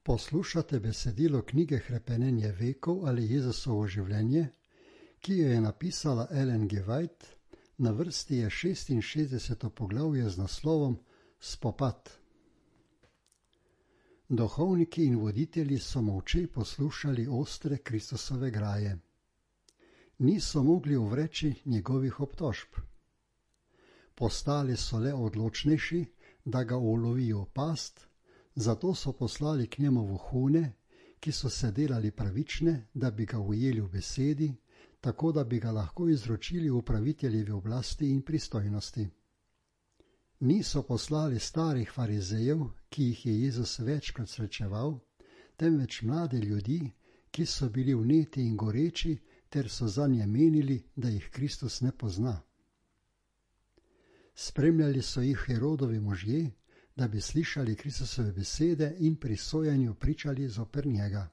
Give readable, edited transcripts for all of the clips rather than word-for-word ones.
Poslušate besedilo knjige Hrepenenje vekov ali Jezusovo življenje, ki jo je napisala Ellen G. White, na vrsti je 66. poglavje z naslovom Spopad. Duhovniki in voditelji so molče poslušali ostre Kristusove graje. Niso mogli uvreči njegovih obtožb. Postali so le odločnejši, da ga ulovijo v past, zato so poslali k njemu vohune, ki so se delali pravične, da bi ga ujeli v besedi, tako da bi ga lahko izročili upraviteljevi oblasti in pristojnosti. Niso poslali starih farizejev, ki jih je Jezus večkrat srečeval, temveč mlade ljudi, ki so bili vneti in goreči, ter so zanje menili, da jih Kristus ne pozna. Spremljali so jih Herodovi možje, da bi slišali Kristusove besede in pri sojenju pričali zoper njega.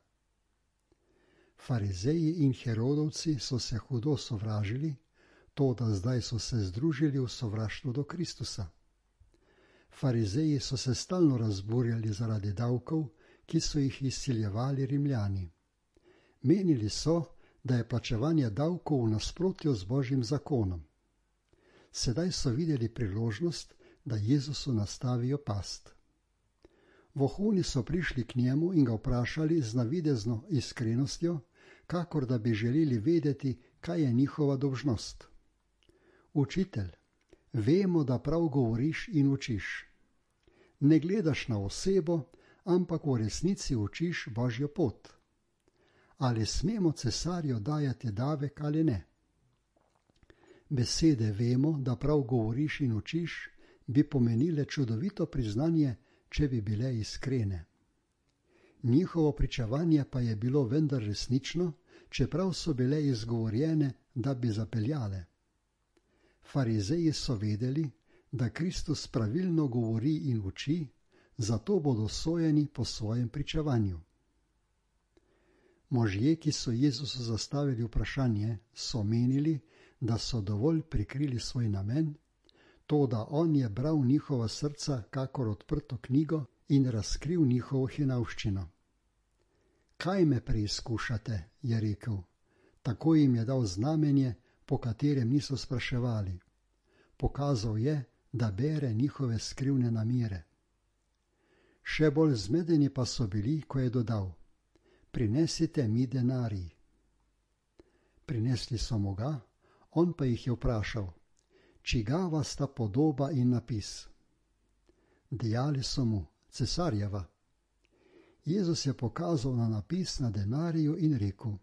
Farizeji in Herodovci so se hudo sovražili, toda zdaj so se združili v sovraštvu do Kristusa. Farizeji so se stalno razburjali zaradi davkov, ki so jih izsiljevali Rimljani. Menili so, da je plačevanje davkov v nasprotju z Božjim zakonom. Sedaj so videli priložnost, da Jezusu nastavijo past. Vohuni so prišli k njemu in ga vprašali z navidezno iskrenostjo, kakor da bi želeli vedeti, kaj je njihova dolžnost. Učitelj, vemo, da prav govoriš in učiš. Ne gledaš na osebo, ampak v resnici učiš Božjo pot. Ali smemo cesarju dajati davek ali ne? Besede vemo, da prav govoriš in učiš, bi pomenile čudovito priznanje, če bi bile iskrene. Njihovo pričevanje pa je bilo vendar resnično, čeprav so bile izgovorjene, da bi zapeljale. Farizeji so vedeli, da Kristus pravilno govori in uči, zato bodo sojeni po svojem pričevanju. Možje, ki so Jezusu zastavili vprašanje, so menili, da so dovolj prikrili svoj namen, toda on je bral njihova srca kakor odprto knjigo in razkril njihovo hinavščino. Kaj me preizkušate, je rekel. Tako jim je dal znamenje, po katerem niso spraševali. Pokazal je, da bere njihove skrivne namere. Še bolj zmedeni pa so bili, ko je dodal: Prinesite mi denarij. Prinesli so mu ga, on pa jih je vprašal: Čigava sta podoba in napis? Dejali so mu: Cesarjeva. Jezus je pokazal na napis na denariju in rekel: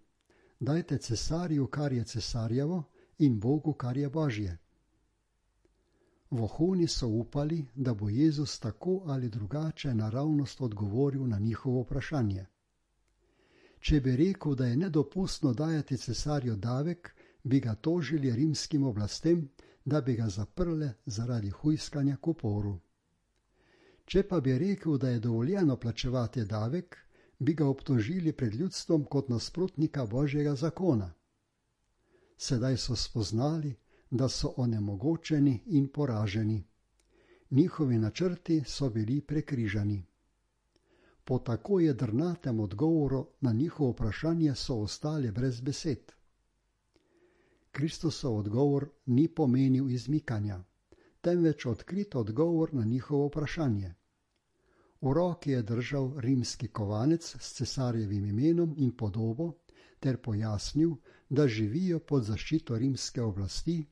Dajte cesarju, kar je cesarjevo, in Bogu, kar je Božje. Vohuni so upali, da bo Jezus tako ali drugače naravnost odgovoril na njihovo vprašanje. Če bi rekel, da je nedopustno dajati cesarju davek, bi ga tožili rimskim oblastem, da bi ga zaprle zaradi hujskanja k uporu. Če pa bi rekel, da je dovoljeno plačevati davek, bi ga obtožili pred ljudstvom kot nasprotnika Božjega zakona. Sedaj so spoznali, da so onemogočeni in poraženi. Njihovi načrti so bili prekrižani. Po tako jedrnatem odgovoru na njihovo vprašanje so ostali brez besed. Kristusov odgovor ni pomenil izmikanja, temveč odkrit odgovor na njihovo vprašanje. V roki je držal rimski kovanec s cesarjevim imenom in podobo ter pojasnil, da živijo pod zaščito rimske oblasti,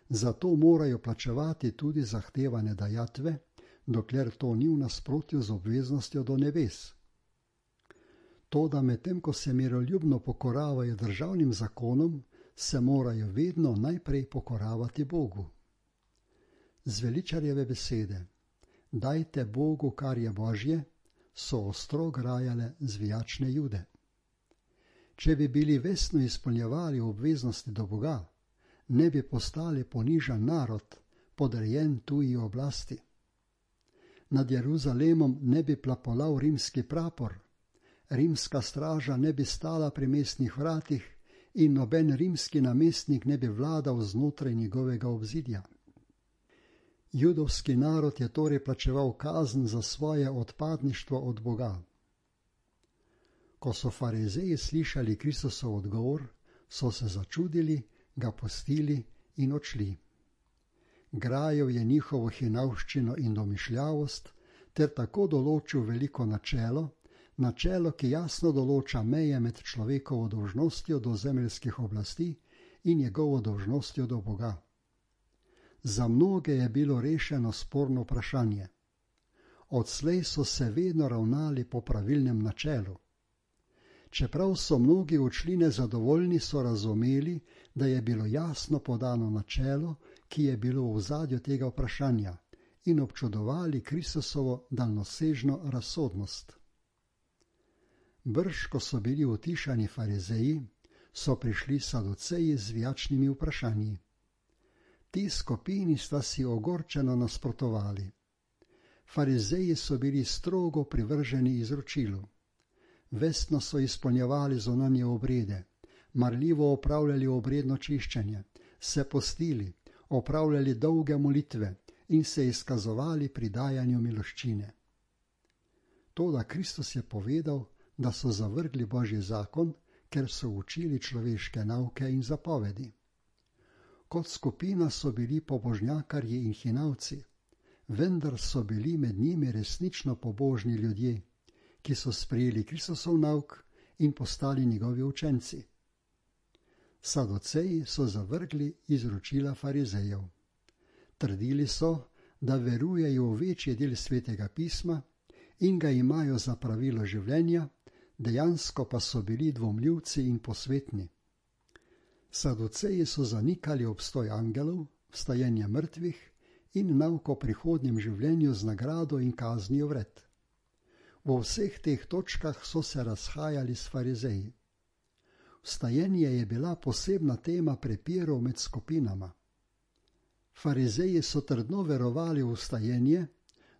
zato morajo plačevati tudi zahtevane dajatve, dokler to ni v nasprotju z obveznostjo do nebes. Toda medtem, ko se miroljubno pokoravajo državnim zakonom, se morajo vedno najprej pokoravati Bogu. Zveličarjeve besede: Dajte Bogu, kar je Božje, so ostro grajale zvijačne Jude. Če bi bili vestno izpolnjevali obveznosti do Boga, ne bi postali ponižan narod, podrejen tuji oblasti. Nad Jeruzalemom ne bi plapolal rimski prapor, rimska straža ne bi stala pri mestnih vratih in noben rimski namestnik ne bi vladal znotraj njegovega obzidja. Judovski narod je torej plačeval kazen za svoje odpadništvo od Boga. Ko so farizeji slišali Kristusov odgovor, so se začudili, ga pustili in odšli. Grajal je njihovo hinavščino in domišljavost ter tako določil veliko načelo, ki jasno določa meje med človekovo dolžnostjo do zemeljskih oblasti in njegovo dolžnostjo do Boga. Za mnoge je bilo rešeno sporno vprašanje. Odslej so se vedno ravnali po pravilnem načelu. Čeprav so mnogi odšli nezadovoljni, so razumeli, da je bilo jasno podano načelo, ki je bilo v ozadju tega vprašanja, in občudovali Kristusovo daljnosežno razsodnost. Brž, ko so bili utišani farizeji, so prišli saduceji z vijačnimi vprašanji. Ti skupini sta si ogorčeno nasprotovali. Farizeji so bili strogo privrženi izročilu. Vestno so izpolnjevali zunanje obrede, marljivo opravljali obredno čiščenje, se postili, opravljali dolge molitve in se izkazovali pri dajanju miloščine. Toda Kristus je povedal, da so zavrgli Božji zakon, ker so učili človeške nauke in zapovedi. Kot skupina so bili pobožnjakarji in hinavci, vendar so bili med njimi resnično pobožni ljudje, ki so sprejeli Kristusov nauk in postali njegovi učenci. Saduceji so zavrgli izročila farizejev. Trdili so, da verujejo v večji del Svetega pisma in ga imajo za pravilo življenja, dejansko pa so bili dvomljivci in posvetni. Saduceji so zanikali obstoj angelov, vstajenje mrtvih in nauk o prihodnjem življenju z nagrado in kaznijo vred. V vseh teh točkah so se razhajali s farizeji. Vstajenje je bila posebna tema prepirov med skupinama. Farizeji so trdno verovali v vstajenje,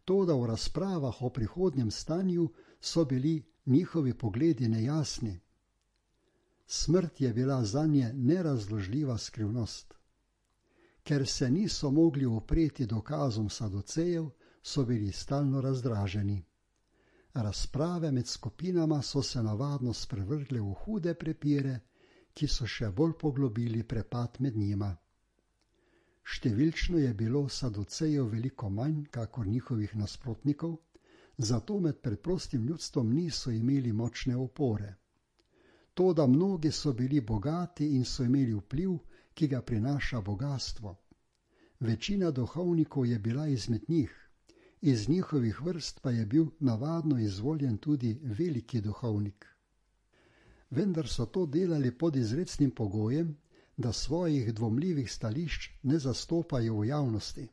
toda v razpravah o prihodnjem stanju so bili njihovi pogledi nejasni. Smrt je bila zanje nerazložljiva skrivnost. Ker se niso mogli upreti dokazom saducejev, so bili stalno razdraženi. Razprave med skupinama so se navadno sprevrgle v hude prepire, ki so še bolj poglobili prepad med njima. Številčno je bilo saducejev veliko manj, kakor njihovih nasprotnikov, zato med preprostim ljudstvom niso imeli močne opore. Toda mnogi so bili bogati in so imeli vpliv, ki ga prinaša bogastvo. Večina duhovnikov je bila izmed njih, iz njihovih vrst pa je bil navadno izvoljen tudi veliki duhovnik. Vendar so to delali pod izrecnim pogojem, da svojih dvomljivih stališč ne zastopajo v javnosti.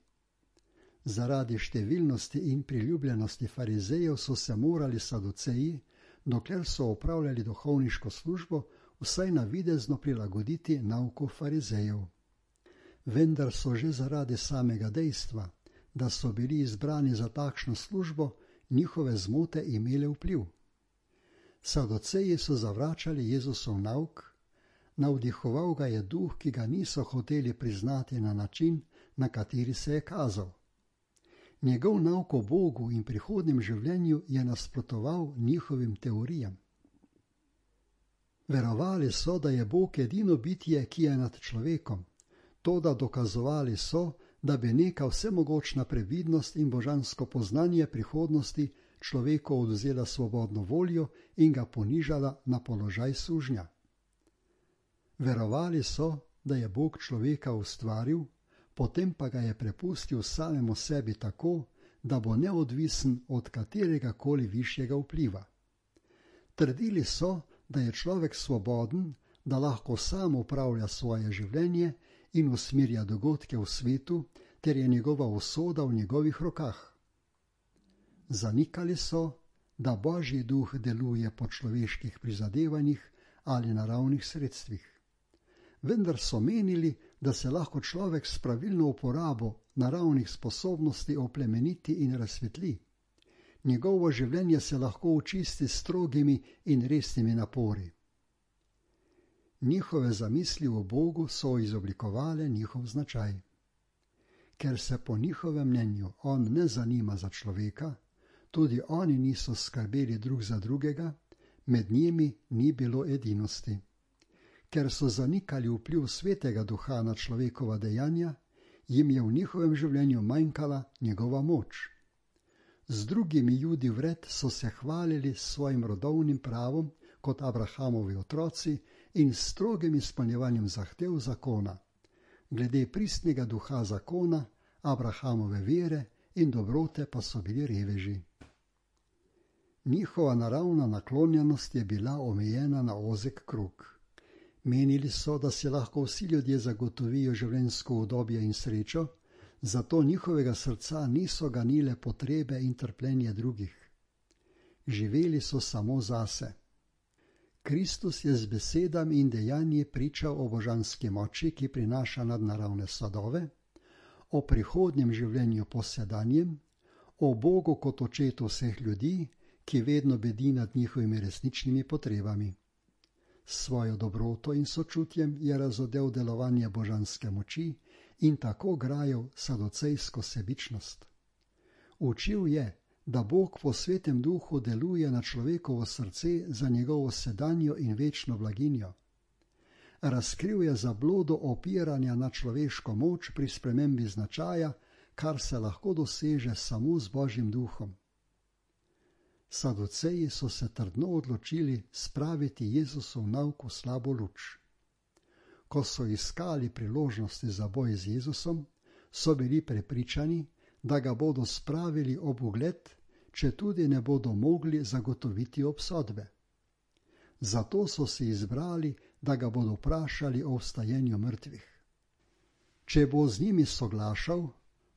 Zaradi številnosti in priljubljenosti farizejev so se morali saduceji, dokler so opravljali duhovniško službo, vsaj navidezno prilagoditi nauku farizejev. Vendar so že zaradi samega dejstva, da so bili izbrani za takšno službo, njihove zmote imele vpliv. Saduceji so zavračali Jezusov nauk, navdihoval ga je duh, ki ga niso hoteli priznati na način, na kateri se je kazal. Njegov nauk o Bogu in prihodnjem življenju je nasprotoval njihovim teorijam. Verovali so, da je Bog edino bitje, ki je nad človekom, toda dokazovali so, da bi neka vsemogočna previdnost in božansko poznanje prihodnosti človeku odvzela svobodno voljo in ga ponižala na položaj sužnja. Verovali so, da je Bog človeka ustvaril, potem pa ga je prepustil samemu sebi tako, da bo neodvisen od katerega koli višjega vpliva. Trdili so, da je človek svoboden, da lahko sam upravlja svoje življenje in usmerja dogodke v svetu, ter je njegova usoda v njegovih rokah. Zanikali so, da Božji duh deluje po človeških prizadevanjih ali naravnih sredstvih. Vendar so menili, da se lahko človek s pravilno uporabo naravnih sposobnosti oplemeniti in razsvetli. Njegovo življenje se lahko očisti s strogimi in resnimi napori. Njihove zamisli o Bogu so izoblikovale njihov značaj. Ker se po njihovem mnenju on ne zanima za človeka, tudi oni niso skrbeli drug za drugega, med njimi ni bilo edinosti. Ker so zanikali vpliv Svetega Duha na človekova dejanja, jim je v njihovem življenju manjkala njegova moč. Z drugimi Judi vred so se hvalili s svojim rodovnim pravom kot Abrahamovi otroci in s strogim izpolnjevanjem zahtev zakona, glede pristnega duha zakona, Abrahamove vere in dobrote pa so bili reveži. Njihova naravna naklonjenost je bila omejena na ozek krog. Menili so, da si lahko vsi ljudje zagotovijo življenjsko udobje in srečo, zato njihovega srca niso ganile potrebe in trpljenje drugih. Živeli so samo zase. Kristus je z besedami in dejanji pričal o božanski moči, ki prinaša nadnaravne sadove, o prihodnjem življenju po sedanjem, o Bogu kot očetu vseh ljudi, ki vedno bedi nad njihovimi resničnimi potrebami. S svojo dobroto in sočutjem je razodel delovanje božanske moči in tako grajal sadocejsko sebičnost. Učil je, da Bog po Svetem Duhu deluje na človekovo srce za njegovo sedanjo in večno blaginjo. Razkril je zablodo opiranja na človeško moč pri spremembi značaja, kar se lahko doseže samo z Božjim Duhom. Saduceji so se trdno odločili spraviti Jezusov nauk v slabo luč. Ko so iskali priložnosti za boj z Jezusom, so bili prepričani, da ga bodo spravili ob ugled, če tudi ne bodo mogli zagotoviti obsodbe. Zato so si izbrali, da ga bodo vprašali o vstajenju mrtvih. Če bo z njimi soglašal,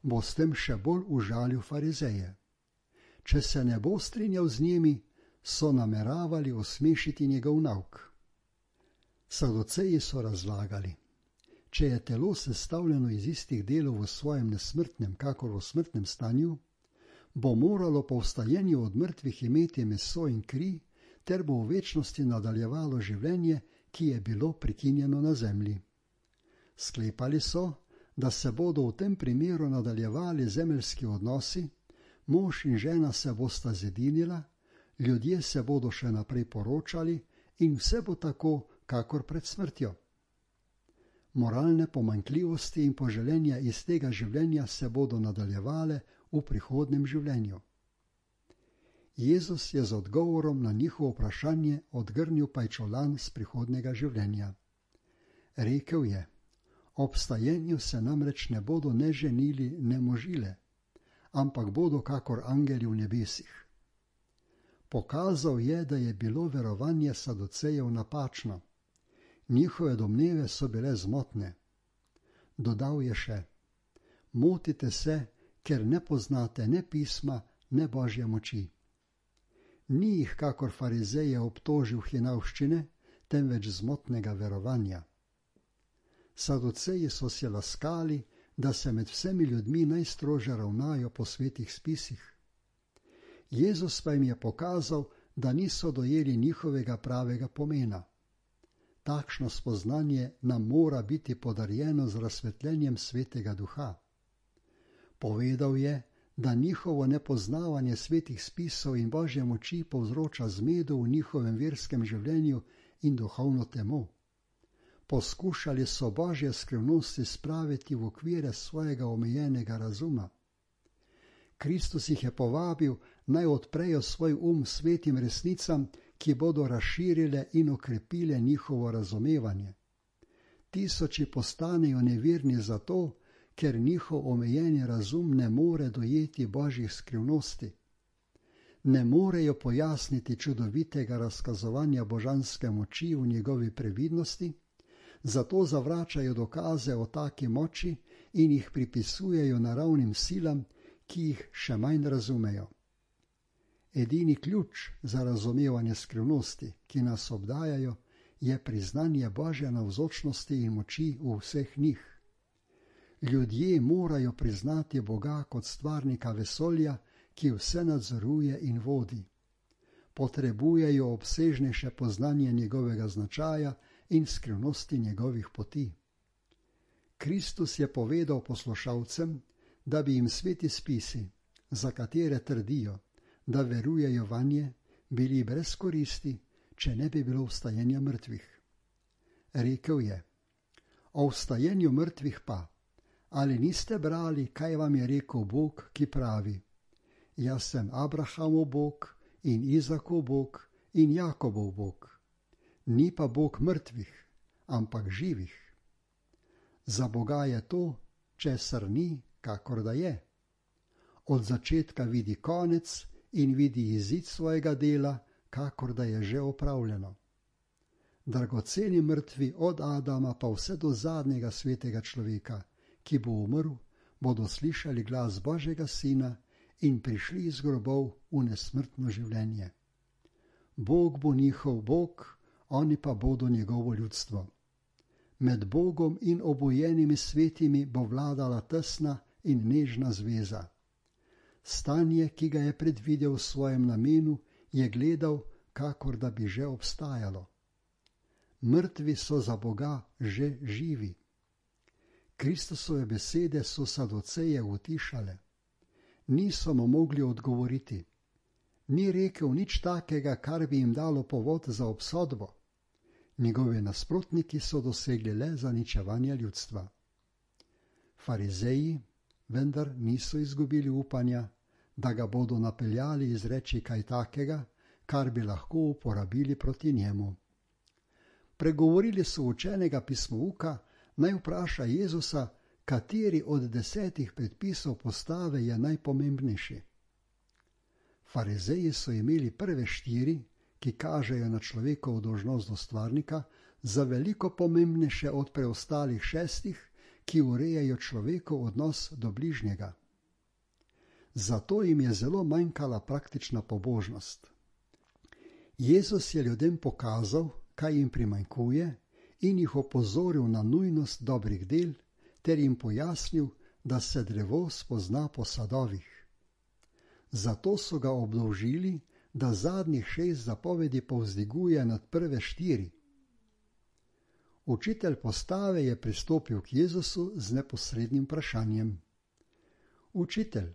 bo s tem še bolj užalil farizeje. Če se ne bo strinjal z njimi, so nameravali osmešiti njegov nauk. Saduceji so razlagali, če je telo sestavljeno iz istih delov v svojem nesmrtnem kakor v smrtnem stanju, bo moralo po vstajenju od mrtvih imeti meso in kri, ter bo v večnosti nadaljevalo življenje, ki je bilo prekinjeno na zemlji. Sklepali so, da se bodo v tem primeru nadaljevali zemeljski odnosi, mož in žena se bosta zedinila, ljudje se bodo še naprej poročali in vse bo tako, kakor pred smrtjo. Moralne pomanjkljivosti in poželenja iz tega življenja se bodo nadaljevale v prihodnem življenju. Jezus je z odgovorom na njihovo vprašanje odgrnil pajčolan z prihodnega življenja. Rekel je, ob vstajenju se namreč ne bodo ne ženili, ne možile, ampak bodo kakor angeli v nebesih. Pokazal je, da je bilo verovanje saducejev napačno. Njihove domneve so bile zmotne. Dodal je še, motite se, ker ne poznate ne pisma, ne Božje moči. Ni jih kakor farizeje obtožil hinavščine, temveč zmotnega verovanja. Saduceji so se laskali, da se med vsemi ljudmi najstrože ravnajo po svetih spisih. Jezus pa jim je pokazal, da niso dojeli njihovega pravega pomena. Takšno spoznanje nam mora biti podarjeno z razsvetljenjem Svetega Duha. Povedal je, da njihovo nepoznavanje svetih spisov in Božje moči povzroča zmedo v njihovem verskem življenju in duhovno temo. Poskušali so Božje skrivnosti spraviti v okvire svojega omejenega razuma. Kristus jih je povabil, naj odprejo svoj svetim resnicam, ki bodo razširile in okrepile njihovo razumevanje. Tisoči postanejo neverni zato, ker njihov omejeni razum ne more dojeti Božjih skrivnosti. Ne morejo pojasniti čudovitega razkazovanja božanske moči v njegovi previdnosti, zato zavračajo dokaze o taki moči in jih pripisujejo naravnim silam, ki jih še manj razumejo. Edini ključ za razumevanje skrivnosti, ki nas obdajajo, je priznanje Božje navzočnosti in moči v vseh njih. Ljudje morajo priznati Boga kot stvarnika vesolja, ki vse nadzoruje in vodi. Potrebujejo obsežnejše poznanje njegovega značaja in skrivnosti njegovih poti. Kristus je povedal poslušalcem, da bi jim sveti spisi, za katere trdijo, da verujejo vanje, bili brez koristi, če ne bi bilo vstajenja mrtvih. Rekel je: O vstajenju mrtvih pa, ali niste brali, kaj vam je rekel Bog, ki pravi: Jaz sem Abrahamov Bog in Izakov Bog in Jakobov Bog. Ni pa Bog mrtvih, ampak živih. Za Boga je to, česar ni, kakor da je. Od začetka vidi konec in vidi izid svojega dela, kakor da je že opravljeno. Dragoceni mrtvi od Adama pa vse do zadnjega svetega človeka, ki bo umrl, bodo slišali glas Božjega Sina in prišli iz grobov v nesmrtno življenje. Bog bo njihov Bog, oni pa bodo njegovo ljudstvo. Med Bogom in obojenimi svetimi bo vladala tesna in nežna zveza. Stanje, ki ga je predvidel v svojem namenu, je gledal, kakor da bi že obstajalo. Mrtvi so za Boga že živi. Kristusove besede so Saduceje utišale. Niso mu mogli odgovoriti. Ni rekel nič takega, kar bi jim dalo povod za obsodbo. Njegovi nasprotniki so dosegli le zaničevanje ljudstva. Farizeji vendar niso izgubili upanja, da ga bodo napeljali izreči kaj takega, kar bi lahko uporabili proti njemu. Pregovorili so učenega pismouka, naj vpraša Jezusa, kateri od 10 predpisov postave je najpomembnejši. Farizeji so imeli prve 4, ki kažejo na človekovo dolžnost do stvarnika, za veliko pomembnejše od preostalih 6, ki urejajo človekov odnos do bližnjega. Zato jim je zelo manjkala praktična pobožnost. Jezus je ljudem pokazal, kaj jim primanjkuje, in jih opozoril na nujnost dobrih del, ter jim pojasnil, da se drevo spozna po sadovih. Zato so ga obdolžili, da zadnjih 6 zapovedi povzdiguje nad prve 4. Učitelj postave je pristopil k Jezusu z neposrednim vprašanjem. Učitelj,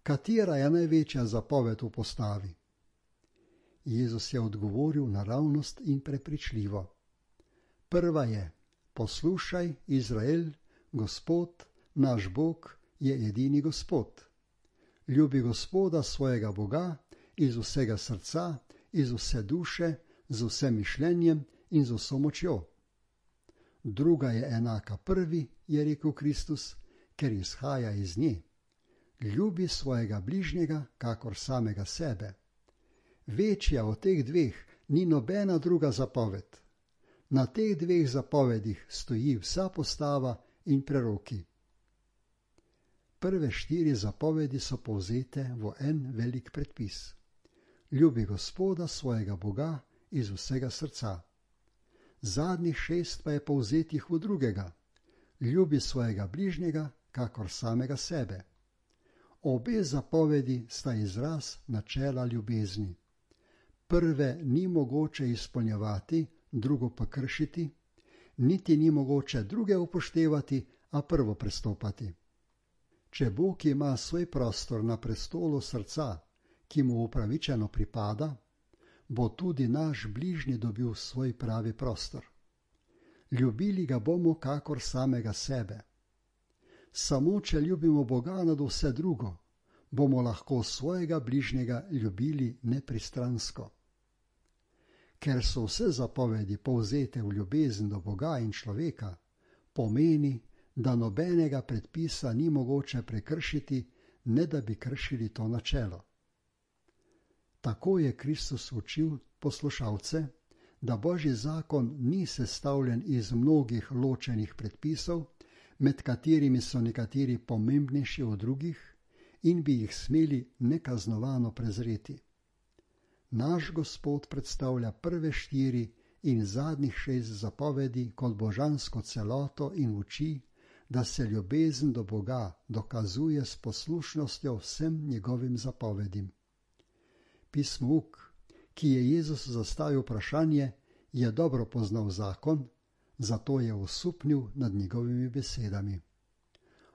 katera je največja zapoved v postavi? Jezus je odgovoril naravnost in prepričljivo. Prva je: poslušaj, Izrael, Gospod, naš Bog, je edini Gospod. Ljubi Gospoda svojega Boga iz vsega srca, iz vse duše, z vsem mišljenjem in z vso močjo. Druga je enaka prvi, je rekel Kristus, ker izhaja iz nje. Ljubi svojega bližnjega, kakor samega sebe. Večja od teh 2 ni nobena druga zapoved. Na teh 2 zapovedih stoji vsa postava in preroki. Prve 4 zapovedi so povzete v en velik predpis. Ljubi Gospoda svojega Boga iz vsega srca. Zadnjih 6 pa je povzetih v drugega. Ljubi svojega bližnjega, kakor samega sebe. Obe zapovedi sta izraz načela ljubezni. Prve ni mogoče izpolnjevati, drugo pa kršiti, niti ni mogoče druge upoštevati, a prvo prestopati. Če Bog ima svoj prostor na prestolu srca, ki mu upravičeno pripada, bo tudi naš bližnji dobil svoj pravi prostor. Ljubili ga bomo kakor samega sebe. Samo če ljubimo Boga nad vse drugo, bomo lahko svojega bližnjega ljubili nepristransko. Ker so vse zapovedi povzete v ljubezen do Boga in človeka, pomeni, da nobenega predpisa ni mogoče prekršiti, ne da bi kršili to načelo. Tako je Kristus učil poslušalce, da Božji zakon ni sestavljen iz mnogih ločenih predpisov, med katerimi so nekateri pomembnejši od drugih in bi jih smeli nekaznovano prezreti. Naš Gospod predstavlja prve 4 in zadnjih 6 zapovedi kot božansko celoto in uči, da se ljubezen do Boga dokazuje s poslušnostjo vsem njegovim zapovedim. Pismouk, ki je Jezus zastavil vprašanje, je dobro poznal zakon, zato je osupnil nad njegovimi besedami.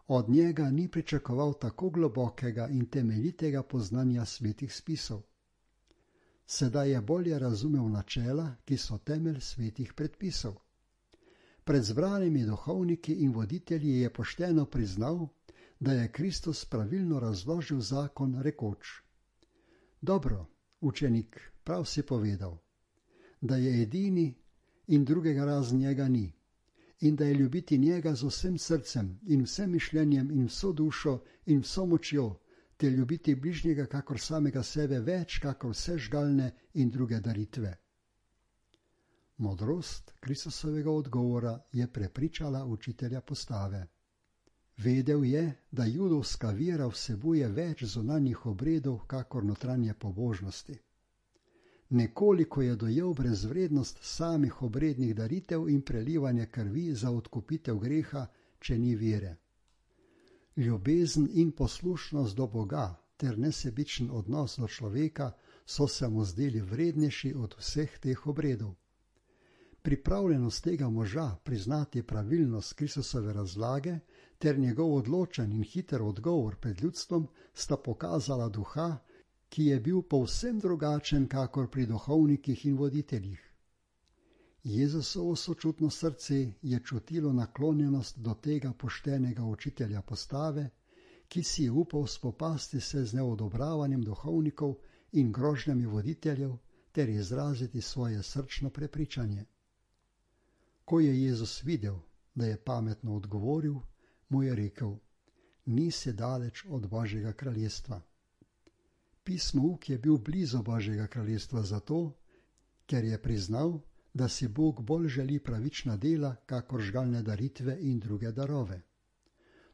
Od njega ni pričakoval tako globokega in temeljitega poznanja svetih spisov. Sedaj je bolje razumel načela, ki so temelj svetih predpisov. Pred zbranimi duhovniki in voditelji je pošteno priznal, da je Kristus pravilno razložil zakon rekoč: Dobro, učenik, prav si povedal, da je edini in drugega razen njega ni, in da je ljubiti njega z vsem srcem in vsem mišljenjem in vso dušo in vso močjo, te ljubiti bližnjega kakor samega sebe več kakor vse žgalne in druge daritve. Modrost Kristusovega odgovora je prepričala učitelja postave. Vedel je, da judovska vera vsebuje več zunanjih obredov kakor notranje pobožnosti. Nekoliko je dojel brezvrednost samih obrednih daritev in prelivanje krvi za odkupitev greha, če ni vere. Ljubezen in poslušnost do Boga ter nesebičen odnos do človeka so se mu zdeli vrednejši od vseh teh obredov. Pripravljenost tega moža priznati pravilnost Kristusove razlage ter njegov odločen in hiter odgovor pred ljudstvom sta pokazala duha, ki je bil povsem drugačen kakor pri duhovnikih in voditeljih. Jezusovo sočutno srce je čutilo naklonjenost do tega poštenega učitelja postave, ki si je upal spopasti se z neodobravanjem duhovnikov in grožnjami voditeljev ter izraziti svoje srčno prepričanje. Ko je Jezus videl, da je pametno odgovoril, mu je rekel: Nisi daleč od Božjega kraljestva. Pismouk je bil blizu Božjega kraljestva zato, ker je priznal, da si Bog bolj želi pravična dela, kakor žgalne daritve in druge darove.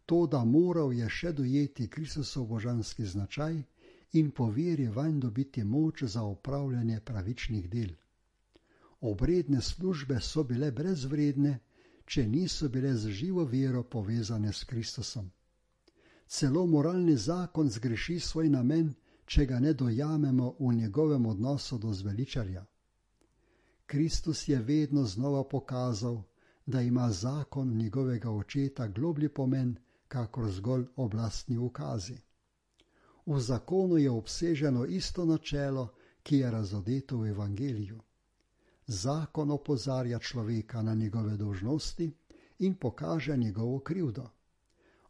Toda moral je še dojeti Kristusov božanski značaj in po veri vanj dobiti moč za opravljanje pravičnih del. Obredne službe so bile brezvredne, če niso bile z živo vero povezane s Kristusom. Celo moralni zakon zgreši svoj namen, če ga ne dojamemo v njegovem odnosu do zveličarja. Kristus je vedno znova pokazal, da ima zakon njegovega očeta globlji pomen, kakor zgolj oblastni ukazi. V zakonu je obseženo isto načelo, ki je razodeto v evangeliju. Zakon opozarja človeka na njegove dolžnosti in pokaže njegovo krivdo.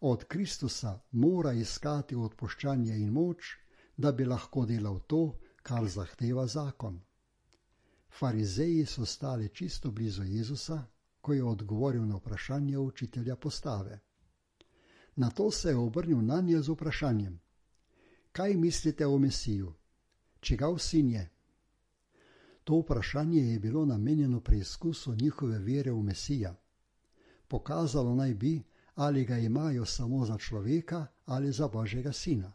Od Kristusa mora iskati odpuščanje in moč, da bi lahko delal to, kar zahteva zakon. Farizeji so stali čisto blizu Jezusa, ko je odgovoril na vprašanje učitelja postave. Nato se je obrnil nanje z vprašanjem: Kaj mislite o Mesiju? Čigav sin je? To vprašanje je bilo namenjeno preizkusu njihove vere v Mesija. Pokazalo naj bi, ali ga imajo samo za človeka ali za Božjega sina.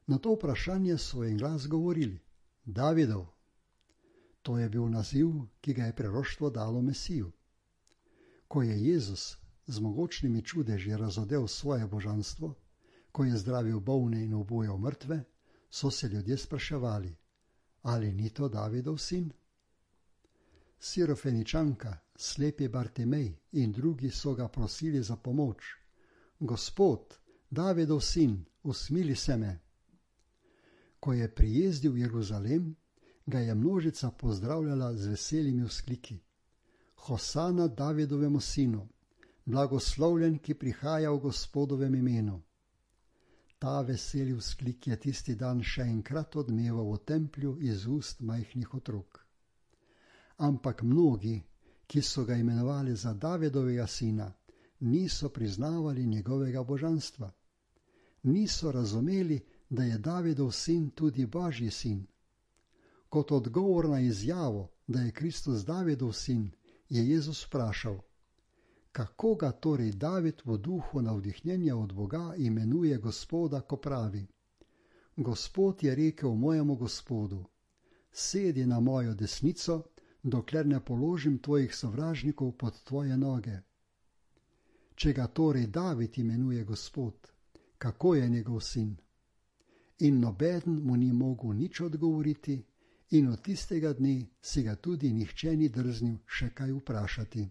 Na to vprašanje so en glas govorili: Davidov. To je bil naziv, ki ga je preroštvo dalo Mesiju. Ko je Jezus z mogočnimi čudeži razodel svoje božanstvo, ko je zdravil bolne in obujal mrtve, so se ljudje spraševali: Ali ni to Davidov sin? Sirofeničanka, slepi Bartimej in drugi so ga prosili za pomoč: Gospod, Davidov sin, usmili se me. Ko je prijezdil v Jeruzalem, ga je množica pozdravljala z veselimi vzkliki: Hosana Davidovemu sinu, blagoslovljen, ki prihaja v Gospodovem imenu. Ta veseli vzklik je tisti dan še enkrat odmeval v templju iz ust majhnih otrok. Ampak mnogi, ki so ga imenovali za Davidovega sina, niso priznavali njegovega božanstva. Niso razumeli, da je Davidov sin tudi Božji sin. Kot odgovor na izjavo, da je Kristus Davidov sin, je Jezus vprašal: Kako ga torej David v duhu navdihnjenja od Boga imenuje Gospoda, ko pravi: Gospod je rekel mojemu Gospodu: Sedi na mojo desnico, dokler ne položim tvojih sovražnikov pod tvoje noge. Če ga torej David imenuje Gospod, kako je njegov sin? In nobeden mu ni mogel nič odgovoriti, in od tistega dne si ga tudi nihče ni drznil še kaj vprašati.